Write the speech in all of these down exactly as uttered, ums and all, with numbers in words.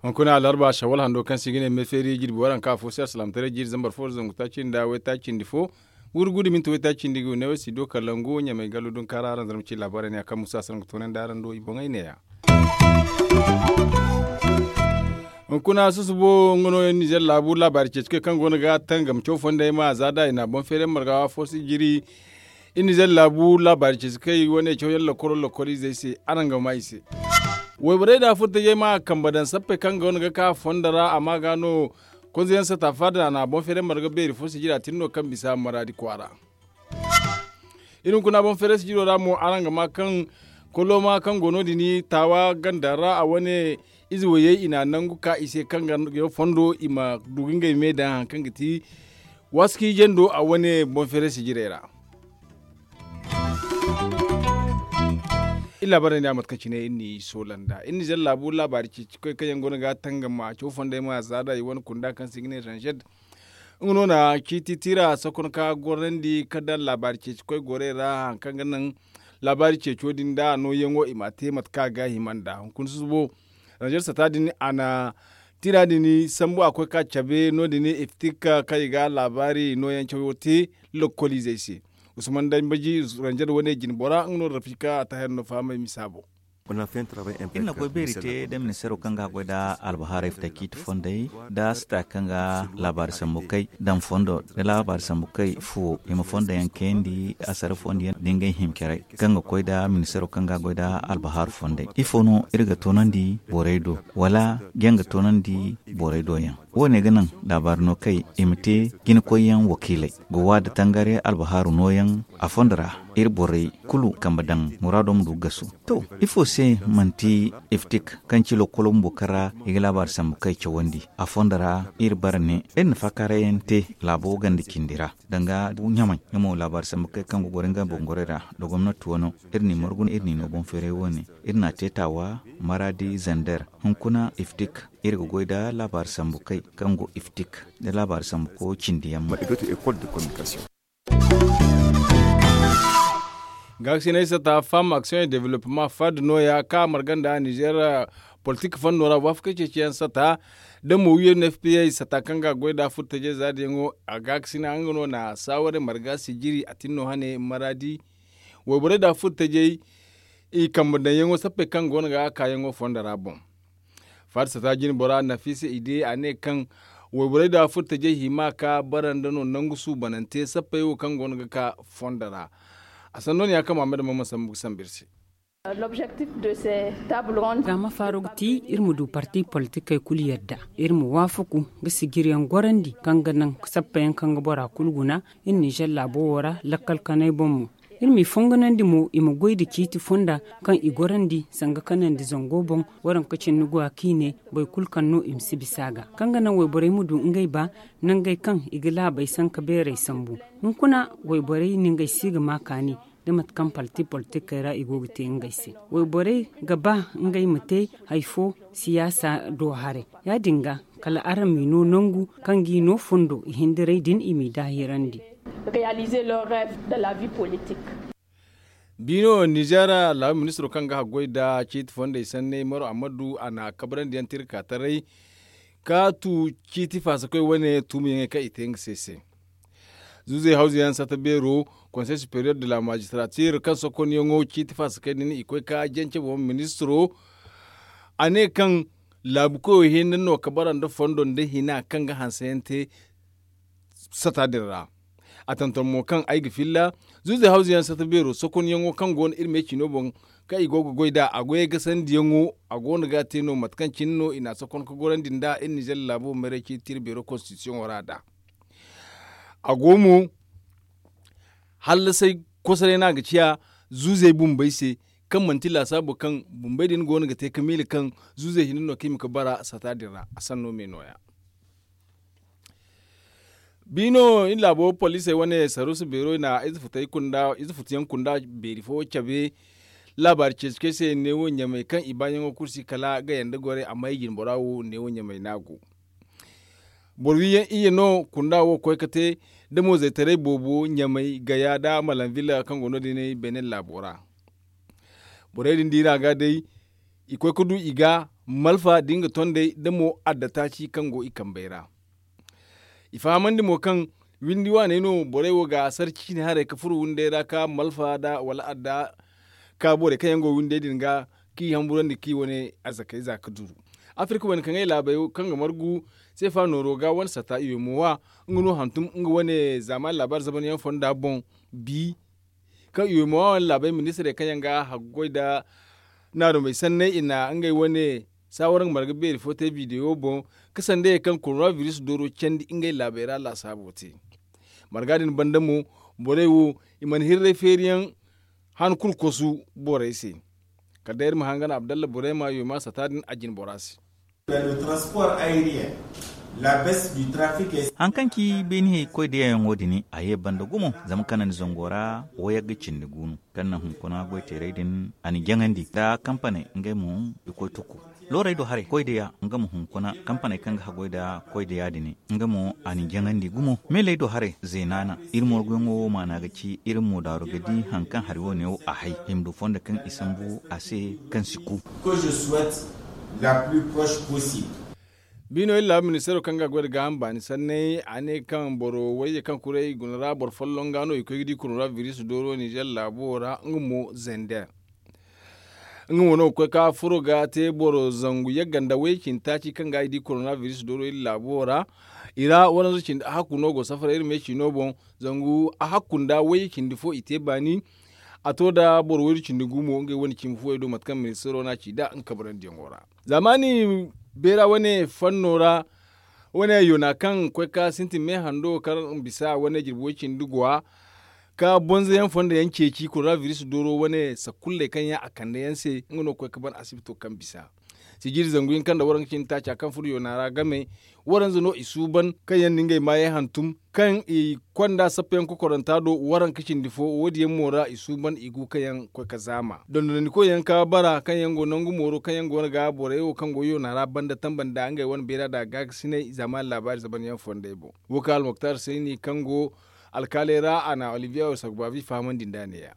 Hunkuna alarba shawal hando kaŋ se i ga ne me feeri jirbi waranka afo se alsilaamataray jiiri zambar fo zangu taaci nda waytaaci nda fo, wurgu da minti waytaaci nda ga ne way si do kalangu ɲamay gallo dunkaara aranzar ma ci laabaarey ne ya kaŋ musa sara nga toonandi araŋ do i boŋey ne ya. Hunkuna susubo nga no nizer laabu laabaari ceeci koy kaŋ go no ga tangam caw fondey ma za da i na boŋ feeray marga fo si jiri. Iri nizer laabu laabaari ceeci kay wane cawyaŋ lokoro lokoro izey se araŋ ga ma i se. Wayborey da furtajey ma kambe daŋ sappey kaŋ go no ga ka fondo ra amma ga no konzeyaŋ sata faada a na boŋ feeray marga beeri fo si jiri a tin no kaŋ bisa maraadi kwaara. Iri hunkuna boŋ feeray si jiro ra mo araŋ ga ma kaŋ koloma kaŋ go no- din taawa ganda ra a wane ize wayey i na nangu ka i se kaŋ ga fondo i ma du ga ngey me daŋ hari kaŋ ga ti waski jando a wane boŋ feeray si jirey ra. Iri laabaarey ne a mate kaŋ cine iri n'i soola nd'a iri nizer laabu laabaari ceeci koy kaŋ yaŋ go no ga tangam a caw fondey ma za da i wane kunda kaŋ se i ga ne ranzed. Nga no na ciiti tira sokon ka gorandi ka daŋ laabaari ceeci koy gorey ra hari kaŋ ga naŋ laabaari ceeco din da a nooyaŋo i m'a te mate kaŋ a ga hima nd'a hunkuna susubo. Ranzed sata din a na tira din sambu a koy ka cabe no- din iftik kaŋ i ga laabaari nooyaŋ cawo te lokkoliizey se. Usman dambaji ranzed wane jine bora nga no rafika a taahir no fahamay misa boŋ. Iri na goy beeri te nda ministeero kaŋ ga goy nda albahaarey fita ciiti fondey nda sita kaŋ ga laabaari sambu kay daŋ fondo nda laabaari sambu kay fuwo i ma fondo yaŋ kayandi asara fondo yaŋ nda ngey hima care kaŋ ga koy nda ministeero kaŋ ga goy nda albahaaru fondey ifo no iri ga toonandi borey do wala jaŋ ga toonandi borey do yaŋ wo- ne ga naŋ laabaari no kay i ma te jinakoyyaŋ wakiiley ga waada tangari albahaaru nooyaŋ a fondo ra iri borey kulu kambe daŋ muraado ma du ga gasu. To ifo se manti iftik kaŋ ci lokkolo bumbo kaŋ ra i ga laabaari sambu kay cawandi a fondo ra iri bara ne iri na faakaaray yaŋ te laabo ganda cindi ra danga ɲamay nga mo laabaari sambu kay kaŋ ga goro nga bangorey ra nda gomnati wano iri n'i margu iri n'i no boŋ feeray wo- ne iri n'a te taawa maraadi zander hunkuna iftik iri ga goy nda laabaari sambu kay kaŋ go iftik nda laabaari sambu ko cindi yaŋ mo. Gaakasinay sata femme action et développement fad nooya kaŋ a marga nda nizer politik fando ra waafakey ceeciyaŋ sata da mo u n f p a sata kaŋ ga a goy nda furtajey zaadiyaŋo a gaakasina nga no na saawarey marga sijiri a tin no hane maraadi. Wayborey nda furtajey i kambe daŋyaŋo sappey kaŋ go no ga kaayaŋo fondo ra boŋ. Faada sata jine bora nafisa i de a ne kaŋ wayborey da furtajey hima ka bara nda no nangu suubanante sappey wo kaŋ go no ga ka fondo ra. A sanno ne ya kaŋ mahammed mamman sambu ga sambu iri se. Ga ma faaro ga ti iri ma du parti politikey kulu yadda iri ma waafaku ga sijiriyaŋ gorandi kaŋ ga naŋ sappeyaŋ kaŋ ga bora kulu guna iri nizer laabo wo ra lakkal kanay boŋ mo. Iri m'i fonganandi mo i ma goy nda ciiti fonda kaŋ i gorandi sanga kanandi zango boŋ waranka cindi go a kaŋ i ne boro kulu kaŋ no i ma si bisa a ga kaŋ ga naŋ wayborey ma du ngey ba nangey kaŋ i ga laabey sanka beerey sambu. Hunkuna wayborey na ngey si ga ma kaani da mate kaŋ parti politikey ra i go ga te ngey se. Wayborey ga ba ngey ma te hari fo siyaasa do haray. Ya- din ga kala araŋ m'i no nangu kaŋ g'i no fondo i hindiray din i m'i daahirandi. Biino nizer laabu ministiro kaŋ ga haggoy nda ciiti fondey sanney maro ammadu a na kabrandi yaŋ te iri ka taray ka tu ciiti faasa koy wane tuumiyaŋey kaŋ i te nga se se. Zuuzey hawzu yaŋ sata beero konsey superiyer de la magistratir kaŋ sokonyaŋo ciiti faasa koy din i koy ka jance boŋ ministiro. A ne kaŋ laabu koyo hinne no ka bara nda fondo nda hina kaŋ ga hanse yaŋ te sata din ra. A tantam mo kaŋ ay ga filla zuuzey hawzu yaŋ sata beero sokonyaŋo kaŋ go no iri me cino boŋ kaŋ i go ga goy nd'a a goyey gasandiyaŋo a go no ga a te no mate kaŋ cine no i n'a sokon ka gorandi nd'a iri nizer laabo maray ciiti iri beero konstitisiyoŋo ra nd'a. A go mo hallasay kosoray no a ga ciya zuuzey bumbey se kaŋ manti laasaabo kaŋ bumbey din go no ga te ka miila kaŋ zuuzey hinne no kaŋ i ma ka bara sata din ra a sanno me nooya. Biino iri laabo poliisey wane saruusa beero i na ize futuyaŋ kunda beeri fo cabe laabaari ceeci kaŋ ay se neewo ɲamay kaŋ i baayaŋo kulu si kala ga yanda gorey amma i jine bora wo neewo ɲamay no a go. Boro wiyaŋ iyye no kunda wo koy ga te da moozaytaray boobo ɲamay gaya nda malanvilla kaŋ go no- din benin laabo ra. Borey din diira ga day i koy ga du i ga malfa da nga tondey da mo adda taaci kaŋ go i kambey ra. I fahamandi mo kaŋ windi waaney no borey wo ga a sar ciine haray ga furo windey ra ka malfa nda wala adda ka borey kaŋ yaŋ go windey din ga k'i hamburandi k'i wane arzakey za ga duru. Afirka wane kaŋ ay laabey kaŋ ga margu seefa nooro ga wane sata i wo mo wa nga no hantum nga wane zaamaani laabaari zaban yaŋ fonda boŋ bi kaŋ i wo mo wa wane laabey ministirey kaŋ yaŋ ga haggoy nda naarumey sanney i na ngey wane saawara nga marga beeri fo te bidewo boŋ ka sanda ye kaŋ korona biris dooro candi ngey laabey ra laasaabo te. Marga din banda mo borey wo i mana hirray feeriyaŋ han kulu kosu borey se. Kala day iri ma hangan abdalla borey ma yo ma sata din a jine bora se. Haŋ kaŋ ci beene koy da yayaŋo din a ye banda gumo zama kanandi zango ra wayagga cindi gu no kaŋ na hunkuna goyteerey din a na jaŋandi nda kampaney ngey mo i koy tuku. Loorey do haray koy da ya nga ma hunkuna kampaney kaŋ ga haggoy nda koy da ya din nga mo a na jaŋandi gumo meeley do haray zeenaana. Iri morguyaŋo wo maana ga ci iri mo daaru ga di haŋ kaŋ hari wo- ne wo a hay i ma du fondo kaŋ i sambu a se kaŋ si ku. Biino iri laabu ministeero kaŋ ga goy nda gaaham baani sanney a ne kaŋ boro wayye kaŋ kuray guna ra boro folloŋ ga no i koy ga di korona biris dooro ninzeer laabo ra nga mo zender. Nga mo no ga koy ka furo ga te boro zangu yagga nda wayye cindi taaci kaŋ ga i di korona biris dooro iri laabo ra. I ra waranza cindi ahakku no go safara iri me ciino boŋ. Zangu ahakku nda wayye cindi fo i te baani. A to nda boro waydu cindi gu mo ngey wane cimi fuwey do mate kaŋ ministeero no a ci nd'a nga kabarandiyaŋo ra. Zaamaani beera wane fanno ra wane yoona kaŋ koy ka sintin me hando kaŋ bisa wane jirbi way cindi gwa ka bonza yaŋ fondo yaŋ ceeci korona biris dooro wane sakulley kaŋ yaŋ a kande yaŋ se nga no ga koy ka ban asibito kaŋ bisa. Sijiri zangu hinka nda waranka cindi taaca kaŋ furo yoona ra game waranza no i suuban kaŋ yaŋ na ngey maayey hantum kaŋ i konda sappa yaŋ kokoranta do waranka cindi fo wo- din yaŋ mo ra i suuban i gu kaŋ yaŋ koy ga zaama dondonandikoy yaŋ ka bara kaŋ yaŋ go nangu mooro kaŋ yaŋ go no ga borey wo kaŋ go yoona ra banda tamba nda ngey wane beera nda gaagasinay zaamaani laabaari zaban yaŋ fondey boŋ. Wo kaŋ almoktar sayni kaŋ go alkaaley ra a na olivier osagbavi fahamandi nd'a ne- ya.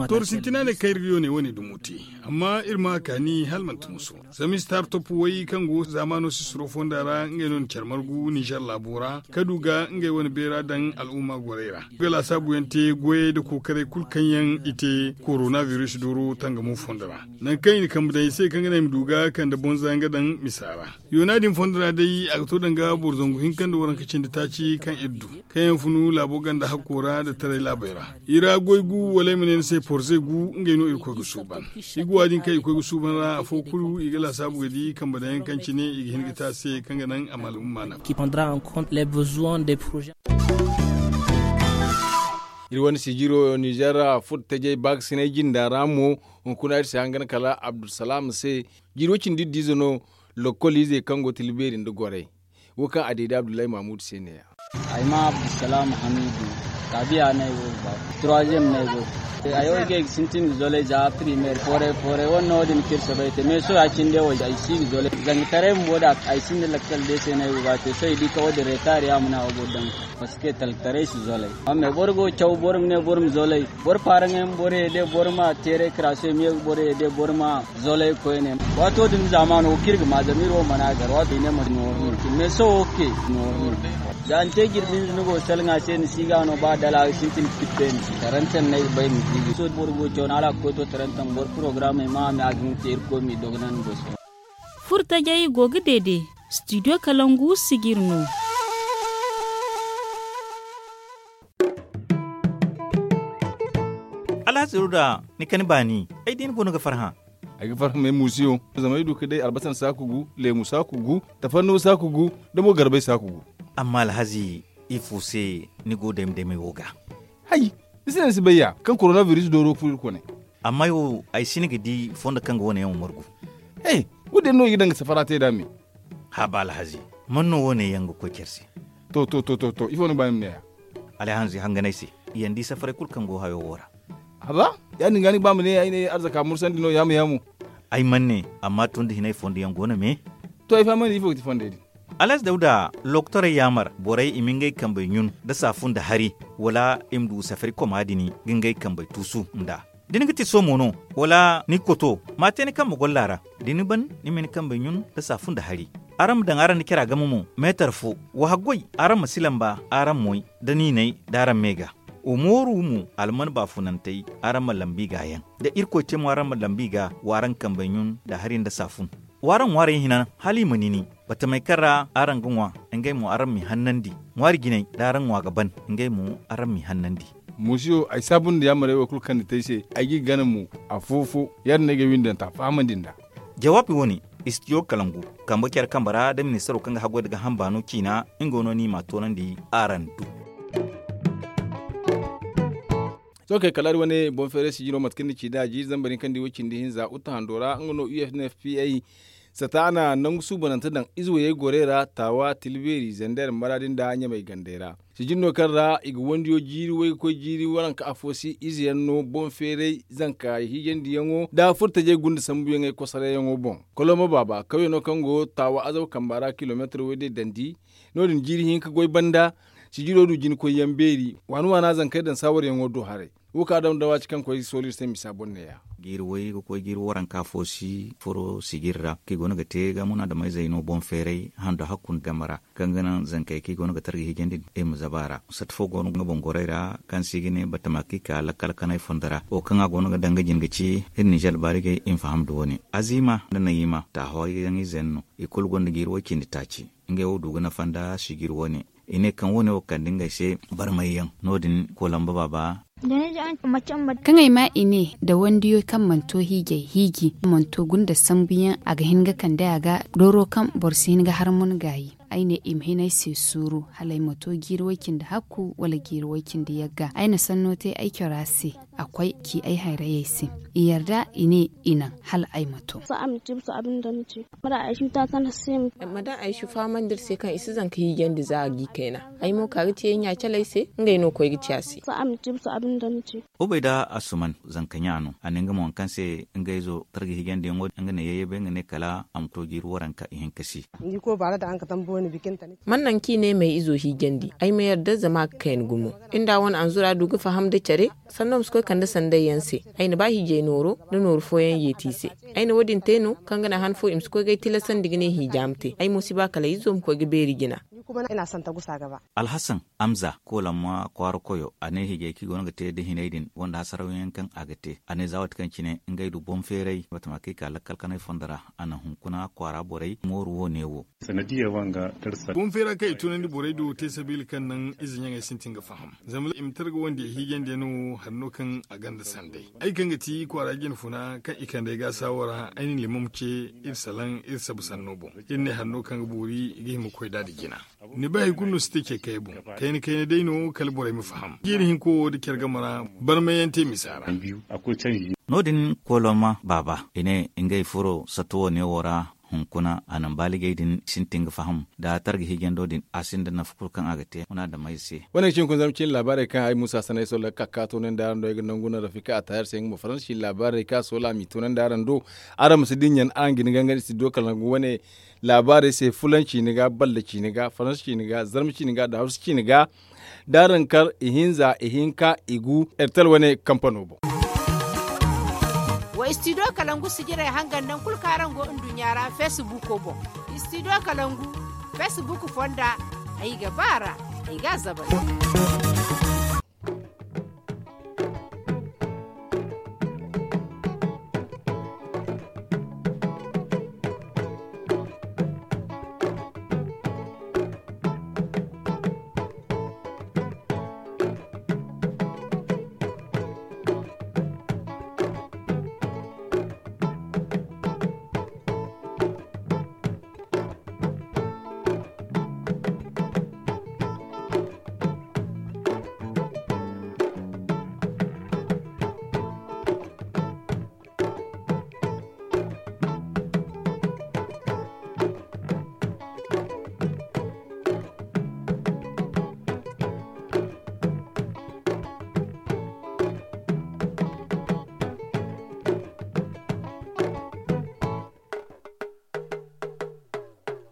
Tooru sintina ne kaŋ iri ga yoonay wane dumo te. Amma iri ma a kaani hala manti muso zama i si taari toppu way kaŋ go zaamaano sisiro fonda ra ngey no na care margu ninzeer laabo ra ka du ga ngey wane beera daŋ al'umma gorey ra ga laasaabu yaŋ te goyey nda kookaray kulu kaŋ yaŋ i te korona biris dooro tangamo fondo ra. Nangu kaŋ i na kambe daŋ i se kaŋ ga naŋ i ma du ga kande bonza nga daŋ misa ra. Yoona din fondo ra day a ga to danga boro zangu hinka nda waranka cindi taaci kaŋ iri du kaŋ yaŋ funu laabo ganda hakko ra nda taray laabey ra. I ra goy gu wala ay ma ne ni se porze gu ngey no iri koy ga suuban. I guwa din kaŋ i koy ga suuban ra afo kulu i ga laasaabu ga di kambe daŋ yaŋ kaŋ cine i ga hin ga te a se kaŋ ga naŋ a ma al'umma nafa. Iri wane sijiro ninzeer furo tajey baakasinay jinda ra mo hunkuna iri si hangan kala abdulsalam se. Jiiro cindi iddu ize no lokol ize kaŋ go tila beeri nda goray. Wo kaŋ a deede abdullahi mahmud se ne- ya. Ay ma abdulsalam hamidu kaabiya no ay go ga ba. Troisième no ay go ga ba. Ay wo ay ga ay ga sintin ga zolay za primaire foray foray wane no wo- din kaŋ iri soobay te mais sohõ ya- cine day wo ay si ga zolay zanga taray bumbo da ay sinda lakkal day se no ay go ga ba te sohõ i di kaŋ wo- din retard ya ma no a wo boro daŋ. Parce que talkataray si zolay. Amma boro go ga caw boro ma ne boro ma zolay. Boro paaraŋey ma boro ye day boro ma teeray karaso i ma ye ga boro ye day boro ma zolay koyne. Waato din zaamaano wo kaŋ iri ga ma zama iri wo mana gar waato i ne ma nooru no. Mais sohõ wo ke nooru no. Za ni te jirbi hinza ni go ga salaŋ a se ni si ga no ba dala ga sintin ga tippay ni se tarantan no ay ga bay ma ziibi sohõ boro go ga caw no hala a ga koy to tarantan boro porogaraamey ma a me a ga hin ga te irkoy m'i dogonandi boso. Furtajey go ga deede. Studio kalangu sijiri no. Alhaziru da ni kani baani ay di ni go no ga farhã. Ay ga farhã me muusiyo zama ay du ka day albasan saaku gu leemu saaku gu tafanno saaku gu da mo garbay saaku gu. Amma alhazi ifo se ni go dayma daymay wo ga? Hay, ni si ne ni si bay ya kaŋ korona biris dooro furo iri kone. Amma ay wo ay si ni ga di fondo kaŋ ga wane yaŋ wo margu. He, wo- din no i ga daŋ ga safara te nd'a me. Haaba alhazi, man no wo- ne yaŋ ga koy care se? To to to to to ifo ni ga ba ni ma ne ya? Alhazi hanganay se, i yaŋ di safaray kulu kaŋ go hayo wo ra. Haaba, ya- din ga ni ga ba ma ne ay ne arzaka mursandi no yaamu yaamu. Ay mana ne, amma tun da hinay fondo yaŋ go no me. To ay fahamandi ifo ga ti fondey din. Alhazi dawda lokotorey yaamar borey i ma ngey kambey ɲun nda saafun nda hari, wala i ma du safari koma din ga ngey kambey tuusu nd'a. Da ni ga ti soomo no, wala ni ga koto, ma a te ni kambe golla ra. Da ni ban, ni ma ni kambey ɲun nda saafun nda hari. Araŋ ma daŋ araŋ nda cara game mo meetar fo. Wa haggoy, araŋ ma si lamba araŋ moy nda niinay da araŋ me ga. Wa mooru mo alman baafunantey, araŋ ma lambu i ga yaŋ. Da irkoy te mo araŋ ma lambu i ga, wa araŋ kambey ɲun nda hari nda saafun. Wa araŋ ŋwaarey hina hala i ma nini. Batamey kaŋ ra araŋ ga ŋwa, ngey mo araŋ m'i hannandi. Ŋwaari jinay da araŋ ŋwa ga ban, ngey mo araŋ m'i hannandi. Musiyo, ay saabu nda yaamarey wo kulu kaŋ ni te ay se. Ay g'i gana mo afo-fo. Ya- din no ay ga ay windanta fahamandi nd'a. Jawaabi wo- ne, istidiyo kalangu, kambe care kambe ra da ministaro kaŋ ga haggoy nda gaaham baano ciina, nga no ni m'a toonandi araŋ do. Sohõ kay kala hari wane boŋ feeray sijiro mate kaŋ ni ci nd'a jiiri zambar hinka nda way cindi hinza uta hando ra nga no u f n f p a. Sata a na nangu suubanante daŋ ize wayey gorey ra taawa tilbeeri zander maraadi nda ɲamay gandey ra. Sijiri no kaŋ ra i ga wandiyo jiiri way ga koy jiiri waranka afo si ize yaŋ no boŋ feeray zanka hiijandiyaŋo nda furtajey gunda sambuyaŋey kosarayyaŋo boŋ. Koloma baaba kawya no kaŋ go taawa azaw kamba ra kilomeetar way day dandi. No- din jiiri hinka goy banda. Sijiro du jina koyyaŋ beeri waani waana zankey daŋ saawaryaŋo do haray. Wo kaŋ a daŋ da waati kaŋ koy sooli iri se misa boŋ neeya. Jiiri way ga koy jiiri waranka fo si furo sijiri ra kaŋ i go no ga te ga munaadameyzey no boŋ feeray hando hakku nda game ra. Kaŋ ga naŋ zankey kaŋ i go no ga targa hiijandi din i ma zaba a ra. Sata fo go no nga boŋ gorey ra kaŋ se i ga ne batama kaŋ i ka lakkal kanay fondo ra wo kaŋ a go no ga daŋ ga jin ga ci iri ninzeer baarigey i ma faham nda wo- ne. Aziima nda nayiima taaho yaŋ ize yaŋ no. I kulu gonda jiiri way cindi taaci. Ngey wo du ga nafa nda sijiri wo- ne. I ne kaŋ wo- ne wo kande ngey se barmayyaŋ. No- din koolamba baaba. Kaŋ ay ma i ne da wandiyo kaŋ mana to hiijay hiiji mana to gunda sambuyaŋ a ga hin ga kande a ga dooro kaŋ boro si hin ga harmun gaayi. Ay ne i ma hin ay se suuru hala ay ma to jiiri way cindi hakku wala jiiri way cindi yagga ay na sanno te ay cora se. A koy ci ay hayrayey se. I yarda i ne i naŋ hala ay ma to. Ma daŋ ay si fahamandi iri se kaŋ i si zanka hiijandi za a g'i kayna. Ay mo ka ga ci ay ɲa caley se ngey no koy ga ci a se. Ubayda asuman zanka ɲa no a ne nga mo hari kaŋ se nga izo targa hiijandiyaŋo nga ne yayye bay nga ne kala a ma to jiiri waranka ihinka se. Man naŋ kaŋ i ne m'ay izo hiijandi ay ma yarda zama a ga kayna gumo. Nda wane anzura du ga faham nda care. Sanno ma si koy kande sanday yaŋ se. Ay na ba hiijay nooro nda nooru fooyaŋ yeeti i se. Ay na wo- din te no kaŋ ga naŋ han fo i ma si koy ga ay tilasandi ga ne hiija ma te ay mo si ba kala ay izo ma koy ga beeri jina. Alhasan amza koolamma kwaara koyo a ne hiijay kaŋ i go no ga te nda hinay din gonda hasarawyaŋ kaŋ a ga te. A ne za waati kaŋ cine ngey du boŋ feeray batama kaŋ i ka lakkal kanay fondo ra. A na hunkuna kwaara borey mooru wo- ne wo. Boŋ feera kaŋ i tunandi borey do te sabiila kaŋ naŋ ize ɲaŋey sintin ga faham. Zama i ma targa wande hiijandiyaŋ no hari no kaŋ a gonda sanday. Ay kaŋ ga ti kwaara jinfuna kaŋ i kande ay ga saawara ay na limam ce iri salaŋ iri sabu sanno boŋ. Iri ne hari no kaŋ ga boori i ga hima ga koy da da jina. Ni bay hari kulu no si te ce kay boŋ. Kayna kayna day no kala borey ma faham jiiri hinko wo da care game ra. Barmayyaŋ te misa ra. No- din kooloma baaba i ne ngey furo sato wo- ne wo ra. Hunkuna a naŋ baaligey din sintin ga faham da targa hiijando din a sinda nafa kulu kaŋ a ga te munaadamey se. Wane ga ci hunkuna zama cine laabaarey kaŋ ay muusa sanay solla ga ka ka toonandi araŋ do ay ga nangu no rafika a taayar se nga mo faransa cine laabaarey kaŋ a soola a m'i toonandi araŋ do. Araŋ ma si dinya araŋ ga ni gangandi studio kala nangu wane laabaarey se fulan ciine ga balla ciine ga faransa ciine ga zarma ciine ga da hawsa ciine ga. Da araŋ kar ihinza ihinka igu ertel wane kampano boŋ. Wa studio kalangu sijirey hangan naŋ kulu kaŋ araŋ go nduɲɲa ra feesibuko boŋ. Studio kalangu feesibuk fonda ay ga ba a ra. Ay ga a zabay.